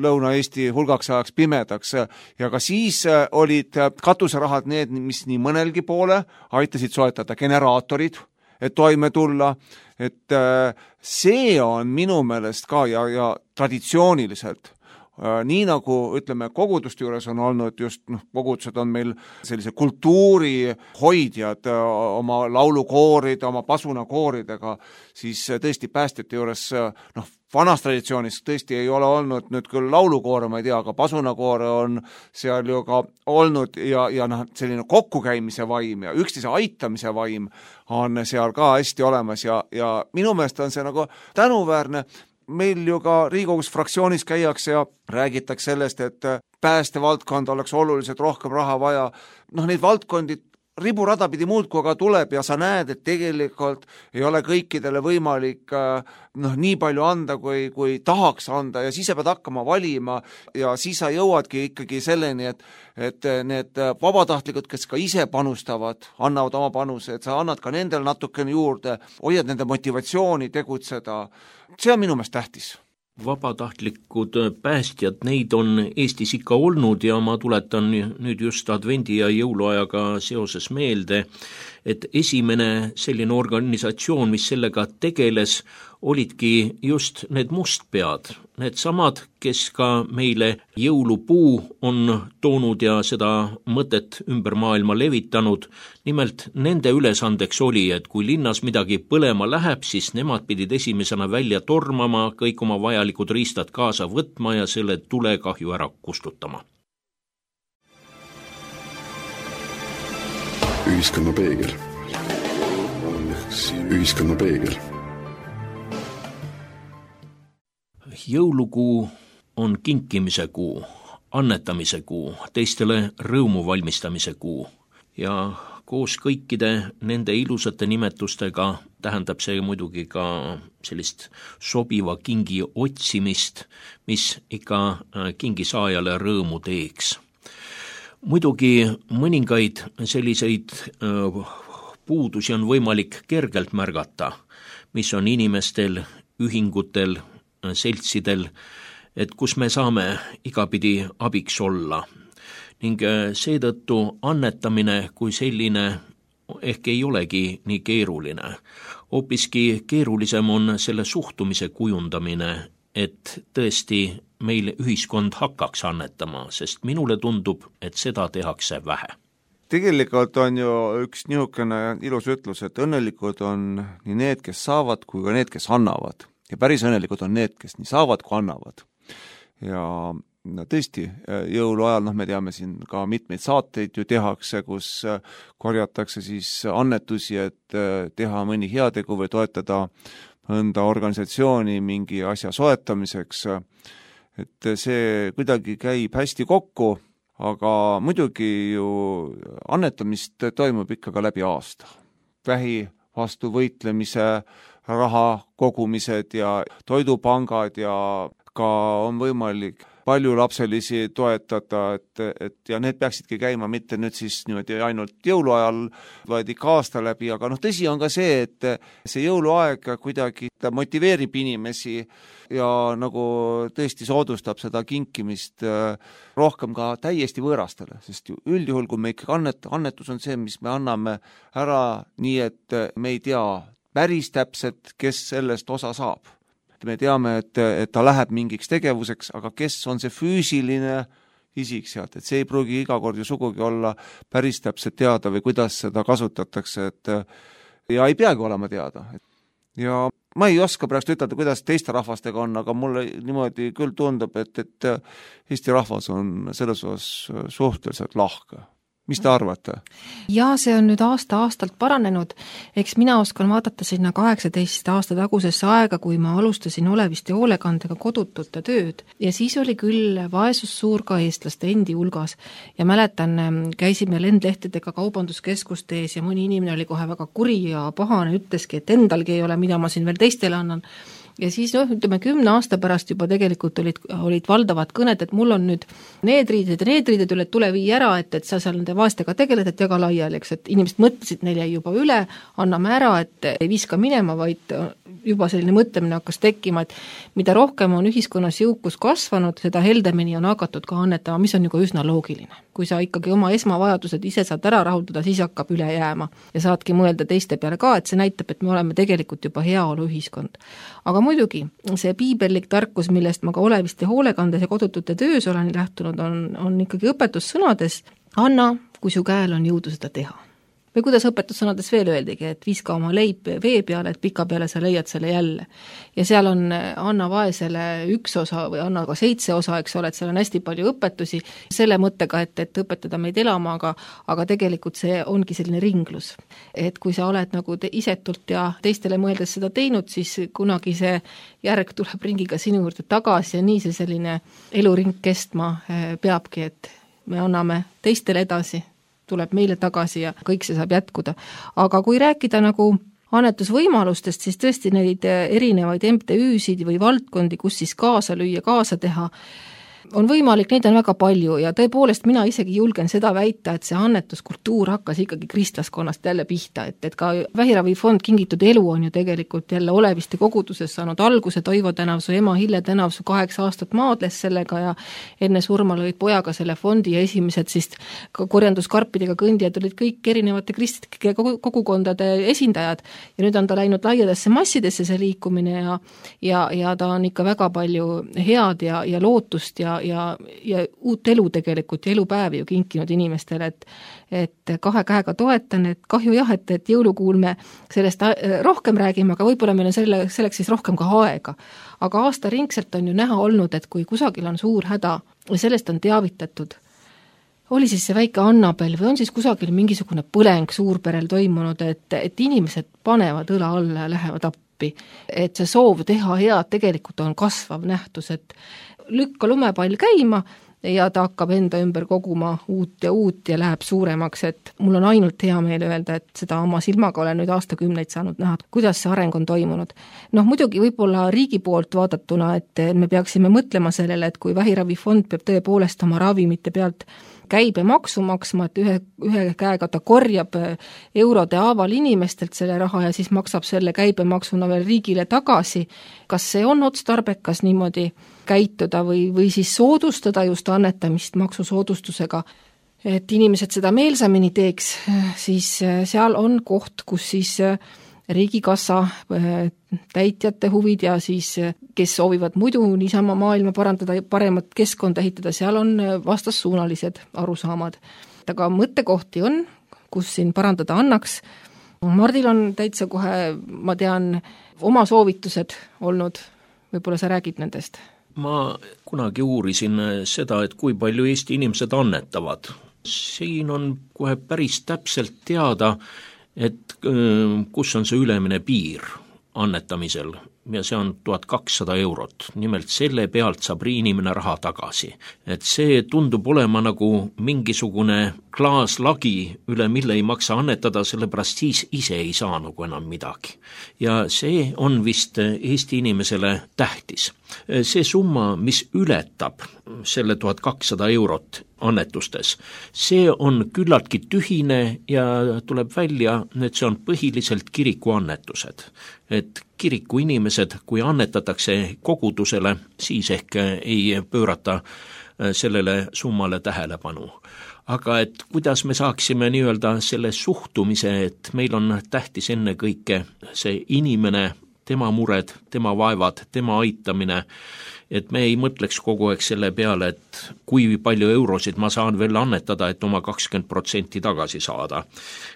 Lõuna-Eesti hulgaks ajaks pimedaks ja ka siis olid katuserahad need, mis nii mõnelgi poole aitasid soetada generaatorid, et toime tulla, et see on minu meelest ka ja traditsiooniliselt, nii nagu ütleme koguduste juures on olnud just, kogudused on meil sellise kultuuri hoidjad oma laulukooride, oma pasunakooridega, siis tõesti päästjate juures, vanas traditsioonis tõesti ei ole olnud nüüd küll laulukoore, ma ei tea, aga pasunakoore on seal ju ka olnud ja selline kokkukäimise vaim ja üksteise aitamise vaim on seal ka hästi olemas ja minu meelest on see nagu tänuväärne. Meil ju ka Riigikogus fraktsioonis käiakse ja räägitakse sellest, et päästevaldkond oleks oluliselt rohkem raha vaja. Neid valdkondi riburada pidi muudkui aga tuleb ja sa näed, et tegelikult ei ole kõikidele võimalik nii palju anda, kui tahaks anda ja siis sa pead hakkama valima ja siis sa jõuadki ikkagi selleni, et need vabatahtlikud, kes ka ise panustavad, annavad oma panuse, et sa annad ka nendele natukene juurde, hoiad nende motivatsiooni tegutseda. See on minu meelest tähtis. Vabatahtlikud päästjad, neid on Eestis ikka olnud ja ma tuletan nüüd just advendi ja jõuluajaga seoses meelde, et esimene selline organisatsioon, mis sellega tegeles, olidki just need mustpead, need samad, kes ka meile jõulupuu on toonud ja seda mõtet ümber maailma levitanud. Nimelt nende ülesandeks oli, et kui linnas midagi põlema läheb, siis nemad pidid esimesena välja tormama, kõik oma vajalikud riistad kaasa võtma ja selle tulekahju ära kustutama. Ühiskonna peegel. Ühiskonna peegel. Jõulukuu on kinkimise kuu, annetamise kuu, teistele rõõmu valmistamise kuu ja koos kõikide nende ilusate nimetustega tähendab see muidugi ka sellist sobiva kingi otsimist, mis ikka kingisaajale rõõmu teeks. Muidugi mõningaid selliseid puudusi on võimalik kergelt märgata, mis on inimestel, ühingutel, seltsidel, et kus me saame igapidi abiks olla. Ning seetõttu annetamine kui selline ehk ei olegi nii keeruline. Hoopiski keerulisem on selle suhtumise kujundamine, et tõesti meil ühiskond hakkaks annetama, sest minule tundub, et seda tehakse vähe. Tegelikult on ju üks niisugune ilus ütlus, et õnnelikud on nii need, kes saavad, kui ka need, kes annavad. Ja päris õnnelikud on need, kes nii saavad, kui annavad. ja no tõesti, jõuluajal, me teame siin ka mitmeid saateid ju tehakse, kus korjatakse siis annetusi, et teha mõni heategu või toetada mõnda organisatsiooni mingi asja soetamiseks. Et see kuidagi käib hästi kokku, aga muidugi ju annetamist toimub ikka ka läbi aasta. Vähi vastu võitlemise, raha kogumised ja toidupangad ja ka on võimalik paljulapselisi toetada, et ja need peaksidki käima mitte nüüd siis niimoodi ainult jõuluajal, vaid ikka aasta läbi, aga tõsi on ka see, et see jõuluaeg kuidagi motiveerib inimesi ja nagu tõesti soodustab seda kinkimist rohkem ka täiesti võõrastele, sest üldjuhul, kui me ikka annetus on see, mis me anname ära nii, et me ei tea päris täpselt, kes sellest osa saab. Me teame, et ta läheb mingiks tegevuseks, aga kes on see füüsiline isik sealt, et see ei pruugi iga kord ju sugugi olla päris täpselt teada või kuidas seda kasutatakse, et ja ei peagi olema teada. Ja ma ei oska praegu ütelda, kuidas teiste rahvastega on, aga mulle niimoodi küll tundub, et Eesti rahvas on selles osas suhteliselt lahke. Mis te arvate? Ja see on nüüd aasta-aastalt paranenud. Eks mina oskan vaadata sinna 18 aasta tagusesse aega, kui ma alustasin Oleviste hoolekandega kodutute tööd. Ja siis oli küll vaesus suur ka eestlaste endi hulgas. Ja mäletan, käisime lendlehtedega kaubanduskeskuste ees ja mõni inimene oli kohe väga kuri ja pahane, ütleski, et endalgi ei ole, mida ma siin veel teistele annan. Ja siis 10 aasta pärast juba tegelikult olid valdavad kõned, et mul on nüüd need riided üle, tule vii ära, et sa seal nende vaestega tegeled, et jaga laiali, eks, et inimesed mõtlesid, neil jäi juba üle, anname ära, et ei viska minema, vaid juba selline mõtlemine hakkas tekkima, et mida rohkem on ühiskonnas jõukus kasvanud, seda heldemini on hakatud ka annetama, mis on ju ka üsna loogiline. Kui sa ikkagi oma esmavajadused ise saad ära rahuldada, siis hakkab üle jääma ja saadki mõelda teiste peale ka, et see näitab, et me oleme tegelikult juba heaolu ühiskond. Aga muidugi, see piibellik tarkus, millest ma ka Oleviste hoolekandes ja kodutute töös olen lähtunud, on ikkagi õpetussõnades, anna, kui su käel on jõudu seda teha. Või kuidas õpetussõnades veel öeldigi, et viska oma leib vee peale, et pika peale sa leiad selle jälle. Ja seal on anna vaesele 1 osa või anna ka 7 osa, eks ole, et seal on hästi palju õpetusi selle mõttega, et õpetada meid elama, aga tegelikult see ongi selline ringlus. Et kui sa oled nagu isetult ja teistele mõeldes seda teinud, siis kunagi see järg tuleb ringiga sinu juurde tagasi ja nii see selline eluring kestma peabki, et me anname teistele edasi, tuleb meile tagasi ja kõik see saab jätkuda. Aga kui rääkida nagu annetusvõimalustest, siis tõesti neid erinevaid MTÜ-sid või valdkondi, kus siis kaasa lüüa, kaasa teha, on võimalik, neid on väga palju ja tõepoolest mina isegi julgen seda väita, et see annetuskultuur hakkas ikkagi kristlaskonnast jälle pihta, et ka Vähiravifond Kingitud elu on ju tegelikult jälle Oleviste koguduses saanud alguse, Toivo Tänavsu ema Hille Tänavsu 8 aastat maadles sellega ja enne surma lõid pojaga selle fondi ja esimesed siis korjanduskarpidega kõndijad olid kõik erinevate kristlike kogukondade esindajad ja nüüd on ta läinud laiadesse massidesse see liikumine ja ta on ikka väga palju head ja lootust ja uut elu tegelikult ja elupäevi ju kinkinud inimestele, et 2 käega toetan, et kahju jah, et jõulukuul me sellest rohkem räägime, aga võib-olla meil on selleks siis rohkem ka aega. Aga aastaringselt on ju näha olnud, et kui kusagil on suur häda ja sellest on teavitatud, oli siis see väike Annabel või on siis kusagil mingisugune põleng suurperel toimunud, et inimesed panevad õla alla ja lähevad appi, et see soov teha head tegelikult on kasvav nähtus, et lükka lumepall käima ja ta hakkab enda ümber koguma uut ja läheb suuremaks, et mul on ainult hea meel öelda, et seda oma silmaga olen nüüd aastakümneid saanud näha, kuidas see areng on toimunud. Muidugi võib-olla riigi poolt vaadatuna, et me peaksime mõtlema sellele, et kui Vähiravifond peab tõepoolest oma ravimite pealt käibemaksu maksma, et ühe käega ta korjab eurode haaval inimestelt selle raha ja siis maksab selle käibemaksuna veel riigile tagasi. Kas see on otstarbekas niimoodi käituda või siis soodustada just annetamist maksusoodustusega, et inimesed seda meelsamini teeks, siis seal on koht, kus siis riigikassa täitjate huvid ja siis, kes soovivad muidu niisama maailma parandada ja paremat keskkonda ehitada, seal on vastassuunalised arusaamad. Aga mõttekohti on, kus siin parandada annaks. Mardil on täitsa kohe, ma tean, oma soovitused olnud, võib-olla sa räägid nendest? Ma kunagi uurisin seda, et kui palju Eesti inimesed annetavad. Siin on kohe päris täpselt teada, et kus on see ülemine piir annetamisel ja see on 1200 €. Nimelt selle pealt saab inimene raha tagasi. Et see tundub olema nagu mingisugune klaaslagi, üle mille ei maksa annetada, sellepärast siis ise ei saa nagu enam midagi. Ja see on vist Eesti inimesele tähtis. See summa, mis ületab selle 1200 € annetustes, see on küllaltki tühine ja tuleb välja, et see on põhiliselt kirikuannetused. Et kiriku inimesed, kui annetatakse kogudusele, siis ehk ei pöörata sellele summale tähelepanu. Aga et kuidas me saaksime nii-öelda selle suhtumise, et meil on tähtis ennekõike see inimene, tema mured, tema vaevad, tema aitamine, et me ei mõtleks kogu aeg selle peale, et kui palju eurosid ma saan veel annetada, et oma 20% tagasi saada.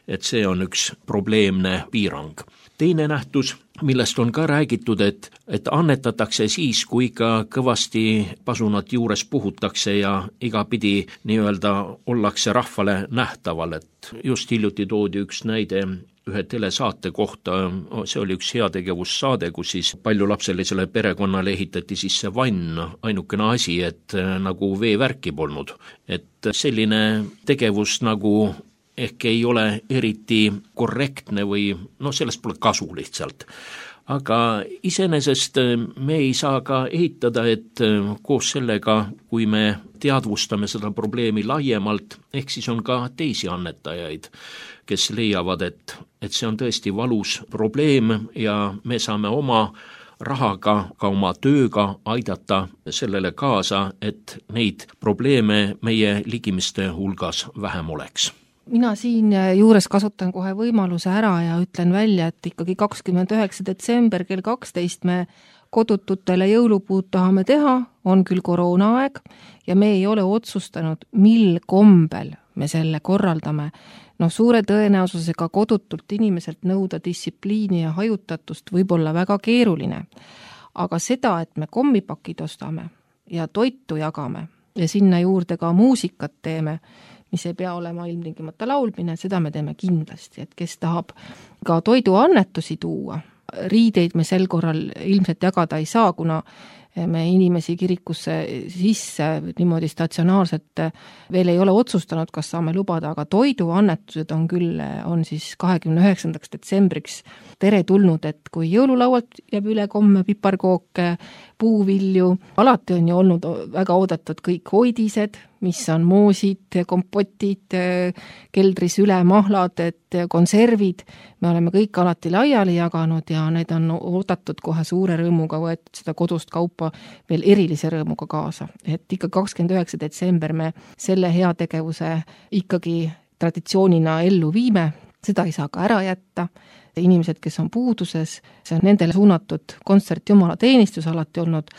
Et see on üks probleemne piirang. Teine nähtus, millest on ka räägitud, et annetatakse siis, kui ka kõvasti pasunat juures puhutakse ja igapidi nii-öelda ollakse rahvale nähtaval, et just hiljuti toodi üks näide ühe telesaate kohta, see oli üks heategevussaade, kus siis paljulapselisele perekonnale ehitati sisse vann, ainukene asi, et nagu veevärki polnud. Et selline tegevus nagu ehk ei ole eriti korrektne või sellest pole kasu lihtsalt. Aga iseenesest me ei saa ka eitada, et koos sellega, kui me teadvustame seda probleemi laiemalt, ehk siis on ka teisi annetajaid, kes leiavad, et see on tõesti valus probleem ja me saame oma rahaga, ka oma tööga aidata sellele kaasa, et neid probleeme meie ligimiste hulgas vähem oleks. Mina siin juures kasutan kohe võimaluse ära ja ütlen välja, et ikkagi 29. detsember kell 12 me kodututele jõulupuud tahame teha, on küll koroonaaeg ja me ei ole otsustanud, mil kombel me selle korraldame. Suure tõenäosusega kodutult inimeselt nõuda distsipliini ja hajutatust võib olla väga keeruline. Aga seda, et me kommipakid ostame ja toitu jagame ja sinna juurde ka muusikat teeme, mis ei pea olema ilmtingimata laulmine, seda me teeme kindlasti, et kes tahab ka toiduannetusi tuua. Riideid me sel korral ilmselt jagada ei saa, kuna me inimesi kirikusse sisse niimoodi statsionaarselt veel ei ole otsustanud, kas saame lubada, aga toiduannetused on siis 29. detsembriks teretulnud, et kui jõululaualt jääb üle komme piparkooke, puuvilju, alati on ju olnud väga oodatud kõik hoidised, mis on moosid, kompotid, keldris ülemahlad, et konservid, me oleme kõik alati laiali jaganud ja need on oodatud kohe suure rõõmuga, võetud seda kodust kaupa veel erilise rõõmuga kaasa. Et ikka 29. detsember me selle heategevuse ikkagi traditsioonina ellu viime, seda ei saa ka ära jätta. Inimesed, kes on puuduses, see on nendele suunatud kontsert jumalateenistus alati olnud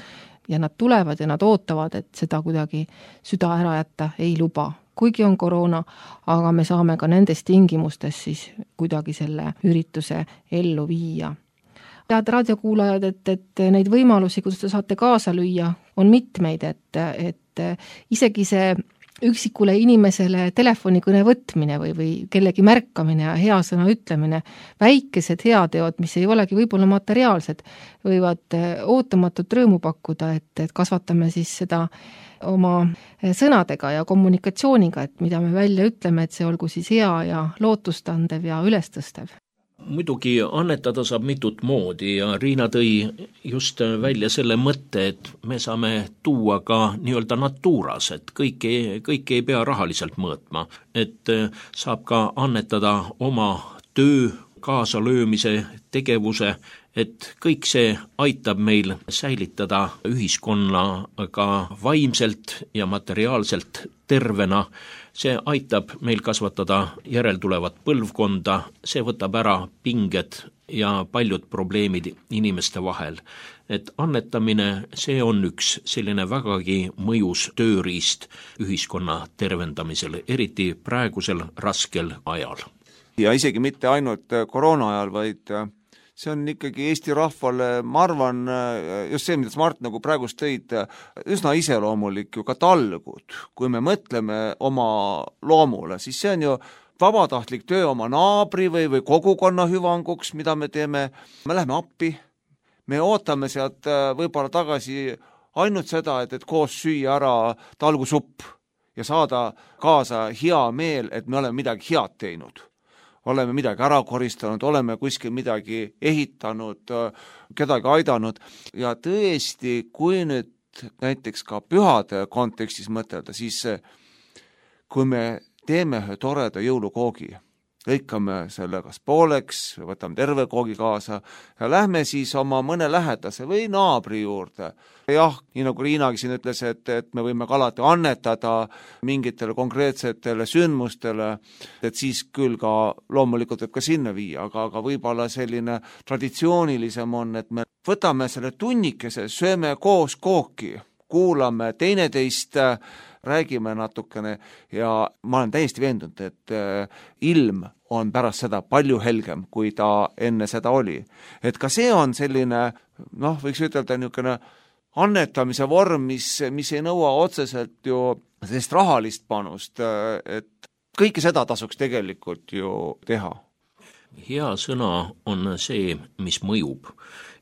ja nad tulevad ja nad ootavad, et seda kuidagi süda ära jätta ei luba. Kuigi on koroona, aga me saame ka nendes tingimustes siis kuidagi selle ürituse ellu viia. Head raadiokuulajad, et neid võimalusi, kuidas te saate kaasa lüüa, on mitmeid, et isegi see üksikule inimesele telefonikõne võtmine või kellegi märkamine ja hea sõna ütlemine, väikesed heateod, mis ei olegi võib-olla materiaalsed, võivad ootamatut rõõmu pakkuda, et kasvatame siis seda oma sõnadega ja kommunikatsiooniga, et mida me välja ütleme, et see olgu siis hea ja lootustandev ja ülestõstev. Muidugi annetada saab mitut moodi ja Riina tõi just välja selle mõtte, et me saame tuua ka nii-öelda natuuras, et kõik ei pea rahaliselt mõõtma, et saab ka annetada oma töö, kaasalöömise, tegevuse, et kõik see aitab meil säilitada ühiskonnaga vaimselt ja materiaalselt tervena. See aitab meil kasvatada järeltulevat põlvkonda, see võtab ära pinged ja paljud probleemid inimeste vahel. Et annetamine, see on üks selline vägagi mõjus tööriist ühiskonna tervendamisel, eriti praegusel raskel ajal. Ja isegi mitte ainult koroona ajal, vaid see on ikkagi Eesti rahvale, ma arvan, just see, mida Mart nagu praegust tõid, üsna iseloomulik ju ka talgud. Kui me mõtleme oma loomule, siis see on ju vabatahtlik töö oma naabri või kogukonna hüvanguks, mida me teeme. Me läheme appi, me ootame sealt võib-olla tagasi ainult seda, et koos süüa ära talgusupp ja saada kaasa hea meel, et me oleme midagi head teinud. Oleme midagi ära koristanud, oleme kuskil midagi ehitanud, kedagi aidanud ja tõesti, kui nüüd näiteks ka pühade kontekstis mõtelda, siis kui me teeme ühe toreda jõulukoogi, lõikame selle kas pooleks, võtame terve koogi kaasa ja lähme siis oma mõne lähedase või naabri juurde. Jah, nii nagu Riinagi siin ütles, et me võime ka alati annetada mingitele konkreetsetele sündmustele, et siis küll ka loomulikult võib ka sinna viia, aga võib-olla selline traditsioonilisem on, et me võtame selle tunnikese, sööme koos kooki, kuulame teineteist, räägime natukene ja ma olen täiesti veendunud, et ilm on pärast seda palju helgem, kui ta enne seda oli. Et ka see on selline, võiks ütelda niisugune annetamise vorm, mis ei nõua otseselt ju sellist rahalist panust, et kõike seda tasuks tegelikult ju teha. Hea sõna on see, mis mõjub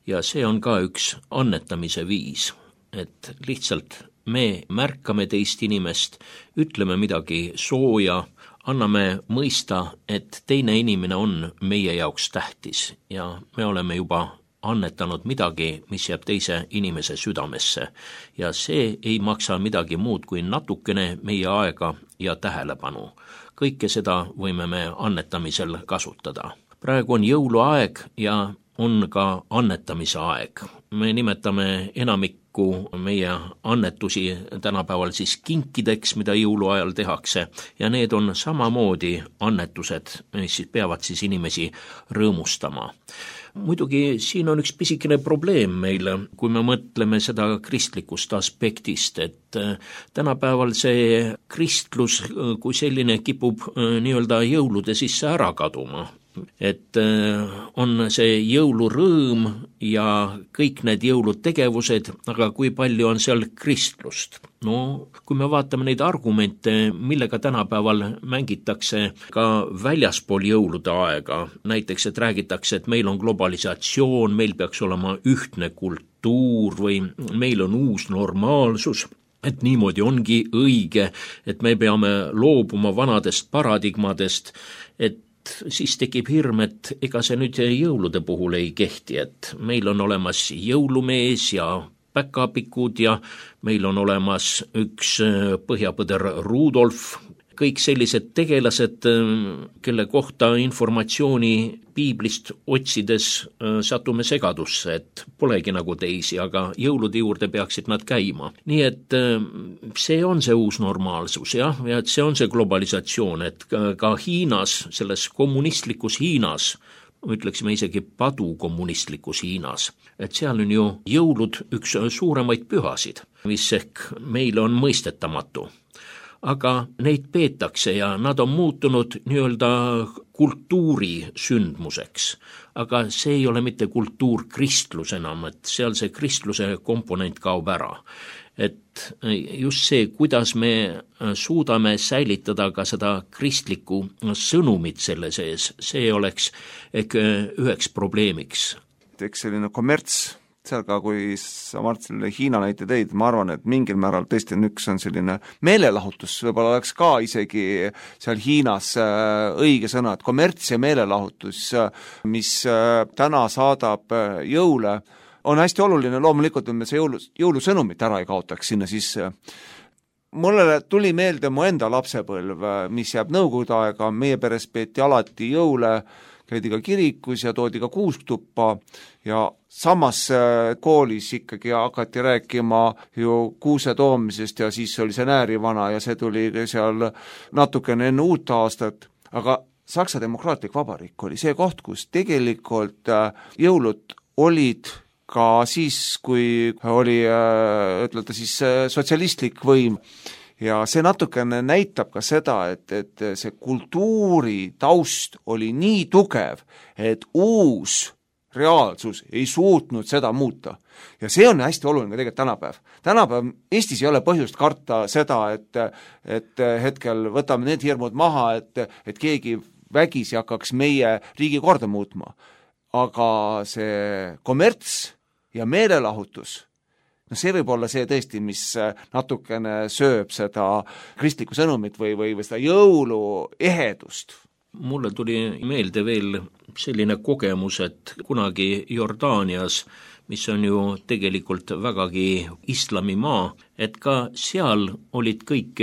ja see on ka üks annetamise viis, et lihtsalt me märkame teist inimest, ütleme midagi sooja, anname mõista, et teine inimene on meie jaoks tähtis ja me oleme juba annetanud midagi, mis jääb teise inimese südamesse ja see ei maksa midagi muud kui natukene meie aega ja tähelepanu. Kõike seda võime me annetamisel kasutada. Praegu on jõuluaeg ja on ka annetamise aeg. Me nimetame enamikku meie annetusi tänapäeval siis kinkideks, mida jõuluajal tehakse ja need on samamoodi annetused, mis siis peavad siis inimesi rõõmustama. Muidugi siin on üks pisikene probleem meil, kui me mõtleme seda kristlikust aspektist, et tänapäeval see kristlus kui selline kipub nii-öelda jõulude sisse ära kaduma. Et on see jõulurõõm ja kõik need jõulutegevused, aga kui palju on seal kristlust? No, kui me vaatame neid argumente, millega tänapäeval mängitakse ka väljaspool jõulude aega, näiteks, et räägitakse, et meil on globalisatsioon, meil peaks olema ühtne kultuur või meil on uus normaalsus, et niimoodi ongi õige, et me peame loobuma vanadest paradigmadest, et siis tekib hirm, et ega see nüüd jõulude puhul ei kehti, et meil on olemas jõulumees ja päkapikud ja meil on olemas üks põhjapõder Rudolf, kõik sellised tegelased, kelle kohta informatsiooni piiblist otsides satume segadusse, et polegi nagu teisi, aga jõulude juurde peaksid nad käima. Nii et see on see uus normaalsus, jah, ja et see on see globalisatsioon, et ka Hiinas, selles kommunistlikus Hiinas, ütleksime isegi padukommunistlikus Hiinas, et seal on ju jõulud üks suuremaid pühasid, mis ehk meile on mõistetamatu. Aga neid peetakse ja nad on muutunud nii-öelda kultuurisündmuseks. Aga see ei ole mitte kultuurkristlus enam, et seal see kristluse komponent kaob ära. Et just see, kuidas me suudame säilitada ka seda kristlikku sõnumit selle sees, see oleks üheks probleemiks. Eks selline kommerts, seal ka, kui sa Mart selle Hiina näite teid, ma arvan, et mingil määral tõesti üks on selline meelelahutus, võib-olla oleks ka isegi seal Hiinas õige sõna, et kommerts ja meelelahutus, mis täna saadab jõule, on hästi oluline, loomulikult, et me see jõulusõnumit ära ei kaotaks sinna sisse. Mulle tuli meelde mu enda lapsepõlv, mis jääb nõukogude aega, meie peres peeti alati jõule, käidi ka kirikus ja toodi ka kuustuppa ja samas koolis ikkagi hakati rääkima ju kuuse toomisest ja siis oli see näärivana ja see tuli seal natukene enne uut aastat, aga Saksa Demokraatlik Vabariik oli see koht, kus tegelikult jõulud olid ka siis, kui oli, ütlete siis, sotsialistlik võim. Ja see natukene näitab ka seda, et see kultuuri taust oli nii tugev, et uus reaalsus ei suutnud seda muuta. Ja see on hästi oluline ka tegelikult tänapäev. Tänapäev Eestis ei ole põhjust karta seda, et hetkel võtame need hirmud maha, et keegi vägisi hakkaks meie riigi korda muutma. Aga see kommerts ja meelelahutus, no see võib olla see tõesti, mis natukene sööb seda kristlikku sõnumit või seda jõuluehedust. Mulle tuli meelde veel selline kogemus, et kunagi Jordaanias, mis on ju tegelikult vägagi islamimaa, et ka seal olid kõik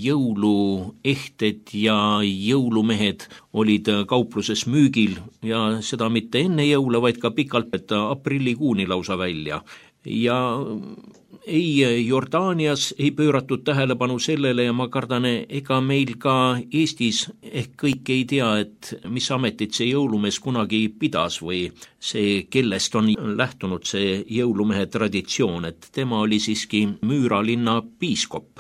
jõuluehted ja jõulumehed olid kaupluses müügil ja seda mitte enne jõule, vaid ka pikalt, et aprillikuuni lausa välja. Ja ei Jordaanias ei pööratud tähelepanu sellele ja ma kardan, ega meil ka Eestis ehk kõik ei tea, et mis ametit see jõulumees kunagi pidas või see, kellest on lähtunud see jõulumehe traditsioon, et tema oli siiski Müüra linna piiskop.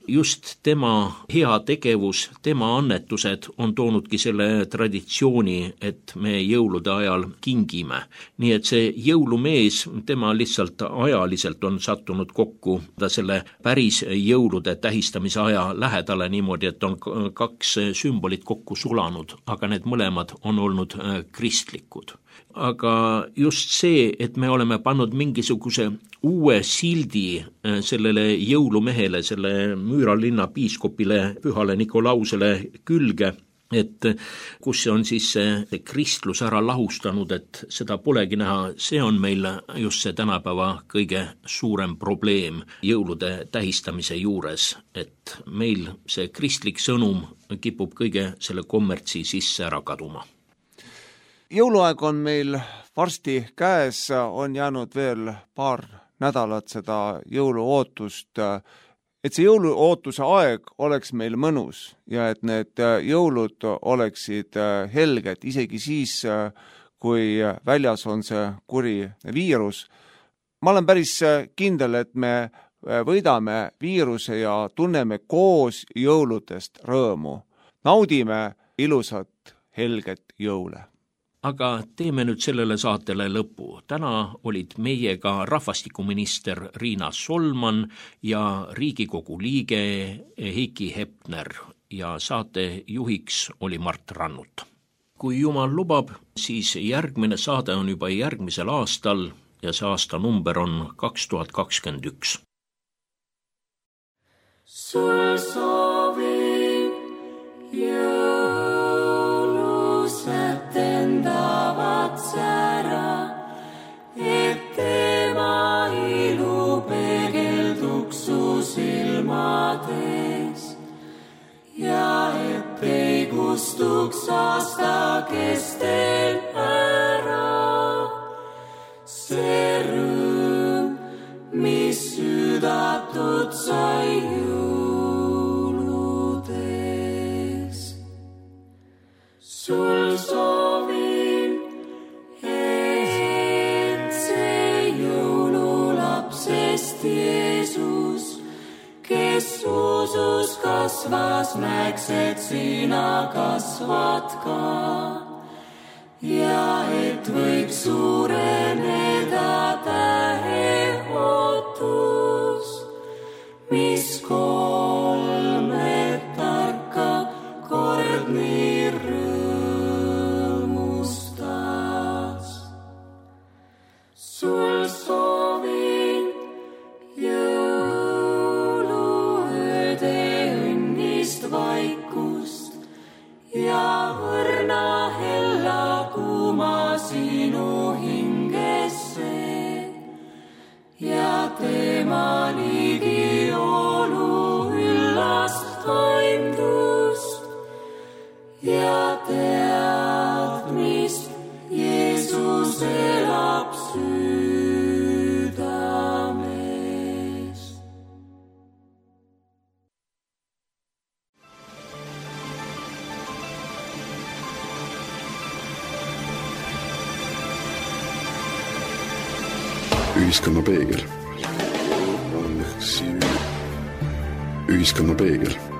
Just tema hea tegevus, tema annetused on toonudki selle traditsiooni, et me jõulude ajal kingime. Nii et see jõulumees, tema lihtsalt ajaliselt on sattunud kokku selle päris jõulude tähistamise aja lähedale niimoodi, et on kaks sümbolit kokku sulanud, aga need mõlemad on olnud kristlikud. Aga just see, et me oleme pannud mingisuguse uue sildi sellele jõulumehele, selle Müüra linna piiskopile, pühale Nikolausele külge, et kus on siis see kristlus ära lahustanud, et seda polegi näha, see on meil just see tänapäeva kõige suurem probleem jõulude tähistamise juures, et meil see kristlik sõnum kipub kõige selle kommertsi sisse ära kaduma. Jõuluaeg on meil varsti käes, on jäänud veel paar nädalat seda jõuluootust, et see jõuluootuse aeg oleks meil mõnus ja et need jõulud oleksid helged, isegi siis, kui väljas on see kuri viirus. Ma olen päris kindel, et me võidame viiruse ja tunneme koos jõuludest rõõmu. Naudime ilusat helget jõule. Aga teeme nüüd sellele saatele lõpu. Täna olid meiega rahvastikuminister Riina Solman ja Riigikogu liige Heiki Hepner ja saate juhiks oli Mart Rannut. Kui Jumal lubab, siis järgmine saade on juba järgmisel aastal ja see aasta number on 2021. Sul soovin jõulused endavad sära, et tema ilu peegelduks su silmades ja et ei kustuks aasta kestel ära see rõõm, mis südatud sai jõuludes. Sul soovin, et see jõululapsest Jeesus, kes usus kasvas, näeks, et sina kasvad ka ja et võiks suureneda tähe ootus, mis kolme tarka kord nii rõõmustas. Sul soovin jõuluööde õnnist vaikust ja õrna hella kuuma sinu hingesse ja tema ligi olu üllast toimdust ja teadmist, Jeesus elab südames. Ühiskonna peegel. Ühiskonna peegel.